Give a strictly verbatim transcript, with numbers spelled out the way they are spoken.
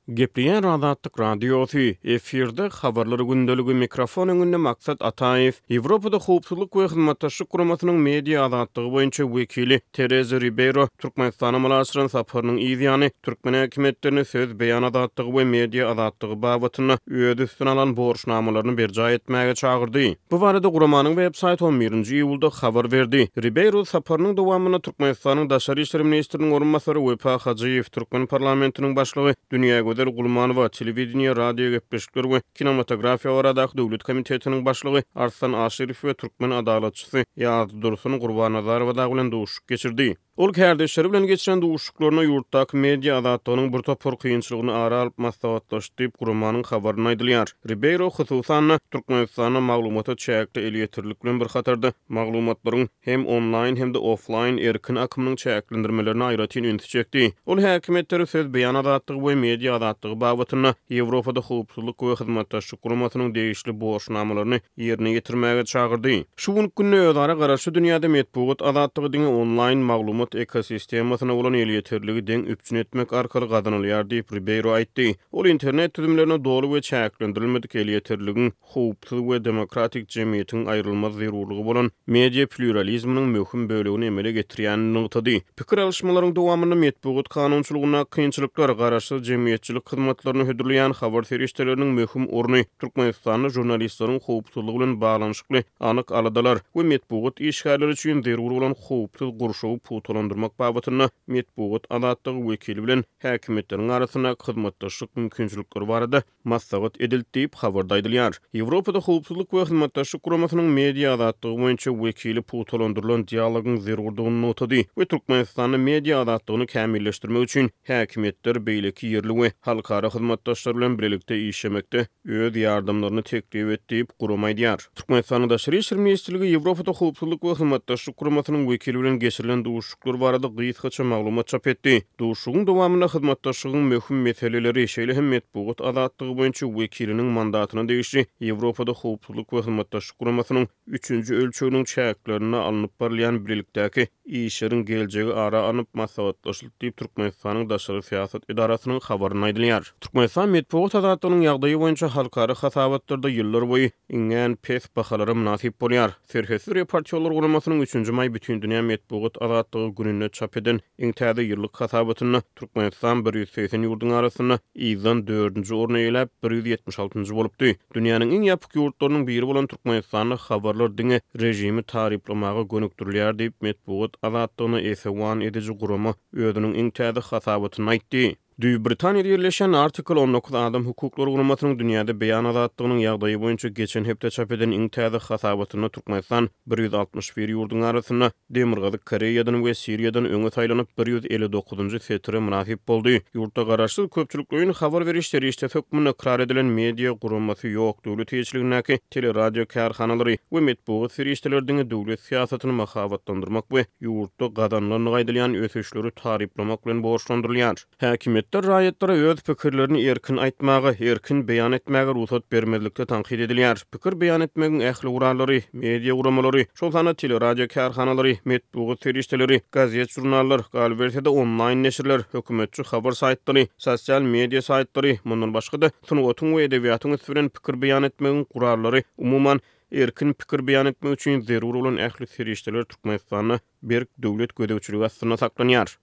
Gepleýär Azatlyk Radiosy, efirde Habarlar gündeligi, mikrofon öňünde Maksat Ataýew. Ýewropada Howpsuzlyk we Hyzmatdaşlyk Guramasynyň media azatlygy boýunça wekili Tereza Ribeýro Türkmenistana amala aşyran saparynyň yz ýany türkmen häkimiýetlerini söz beýan azatlygy we media azatlygy babatynda öz üstüne alan borçnamalaryny berjaý etmäge çagyrdy. Bu barada guramanyň web saýty on birinji iýulda habar berdi. Ribeýro saparynyň dowamynda Türkmenistanyň Daşary işler ministriniň orunbasary Wepa Hajyýew, türkmen parlamentiniň başlygy Dünýägözel Gulmanowa, telewideniýe, radio gepleşikler we kinematografiýa baradaky döwlet komitetiniň başlygy Arslan Aşyrow we türkmen adalatçysy Ýazdursun Gurbannazarowa dagy bilen duşuşyk geçirdi. Ol kärdeşleri bilen geçiren duşuşyklarynda ýurtdaky media azatlygynyň bir topar kynçylygyny ara alyp maslahatlaşdy diýip, guramanyň habarynda aýdylýar. Ribeýro, hususan-da, Türkmenistanda maglumata çäkli elýeterlilik bilen bir hatarda, maglumatlaryň hem onlaýn, hem-de oflaýn erkin akymynyň çäklendirmelerine aýratyn ünsi çekdi. Ol häkimiýetleri söz beýan azatlygy we media azatlygy babatynda Ýewropada Howpsuzlyk we Hyzmatdaşlyk Guramasynyň degişli borçnamalaryny ýerine ýetirmäge çagyrdy. Şu günki günde özara garaşly dünýäde metbugat azatlygy diňe onlaýn maglumat ekosistemasyna bolan elýeterligi deň üpjün etmek arkaly gazanylýar diýip, Ribeýro aýtdy. Ol internet düzümlerine doly we çäklendirilmedik elýeterligiň howpsuz we demokratik jemgyýetiň aýrylmaz zerurlygy bolan media plýuralizminiň möhüm bölegini emele getirýänini nygtady. Pikir alyşmalaryň dowamynda metbugat kanunçylygyndaky kynçylyklar, garaşsyz jemgyýetçilik hyzmatlaryny hödürleýän habar serişdeleriniň möhüm orny, Türkmenistanda žurnalistleriň howpsuzlygy bilen baglanyşykly anyk aladalar we metbugat işgärleri üçin zerur bolan howpsuz gurşawy pugtalandyrmak babatynda metbugat azatlygy wekili bilen häkimiýetleriň arasyndaky hyzmatdaşlyk mümkinçilikleri barada maslahat edildi diýip, habarda aýdylýar. Ýewropada Howpsuzlyk we Hyzmatdaşlyk Guramasynyň media azatlygy boýunça wekili pugtalandyrylan dialogyň zerurdygyny nygtady we Türkmenistanda media azatlygyny kämilleşdirmek üçin häkimiýetler beýleki ýerli we halkara hyzmatdaşlar bilen bilelikde işlemekde öz ýardamlaryny teklip etdi diýip, gurama aýdýar. Türkmenistanyň Daşary işler ministrligi Ýewropada Howpsuzlyk we Hyzmatdaşlyk Guramasynyň wekili bilen geçirilen duşuşyklar barada gysgaça maglumat çap etdi. Duşuşygyň dowamynda hyzmatdaşlygyň möhüm meseleleri, şeýle hem metbugat azatlygy boýunça wekiliniň mandatyna degişli Ýewropada Howpsuzlyk we Hyzmatdaşlyk Guramasynyň üçünji ölçeginiň çäklerinde alnyp barylýan bilelikdäki işleriň geljegi ara alnyp maslahatlaşyldy diýip, Türkmenistanyň Daşary syýasat edarasynyň habarynda aýdylýar. Türkmenistan metbugat azatlygynyň ýagdaýy boýunça halkara hasabatlarda ýyllarboýy iňňän pes bahalara mynasyp bolýar. Serhetsiz reportýorlar guramasynyň üçünji maý Bütindünýä metbugat azatlygy gününde çap eden iň täze ýyllyk hasabatynda Türkmenistan bir ýüz segsen ýurduň arasynda yzdan dördünji orny eýeläp, bir ýüz ýetmiş altynjy bolupdy. Dünýäniň iň ýapyk ýurtlarynyň biri bolan Türkmenistanda habarlar diňe režimi taryplamaga gönükdirilýär diýip, metbugat azatlygyna esewan ediji gurama özüniň iň täze hasabatynda aýtdy. Düýp Britaniýada ýerleşen Article on dokuz adam hukuklary guramasynyň dünýäde beýan azatlygynyň ýagdaýy boýunça geçen hepde çap eden iň täze hasabatynda Türkmenistan bir ýüz altmyş bir ýurduň arasynda Demirgazyk Koreýadan we Siriýadan öňe saýlanyp, bir ýüz elli dokuzynjy setire mynasyp boldy. Ýurtda garaşsyz köpçülikleýin habar beriş serişdesi hökmünde ykrar edilen media guramasy ýok, döwlet eýeçiligindäki teleradio kärhanalary we metbugat serişdeleri diňe döwlet syýasatyny mahabatlandyrmak we ýurtda gazanylandygy aýdylýan ösüşleri taryplamak bilen borçlandyrylýar. Häkimiýetler raýatlara öz pikirlerini erkin aýtmaga, erkin beýan etmäge rugsat bermezlikde tankyt edilýär. Pikir beýan etmegiň ähli gurallary, media guramalary, şol sanda teleradio kärhanalary, metbugat serişdeleri, gazet-žurnallar, galyberse-de onlaýn neşirler, hökümetçi habar saýtlary, sosial media saýtlary, mundan başga-da sungatyň we edebiýatyň üsti bilen pikir beýan etmegiň gurallary, umuman, erkin pikir beýan etmek üçin zerur bolan ähli serişdeler Türkmenistanda berk döwlet gözegçiligi astynda saklanýar.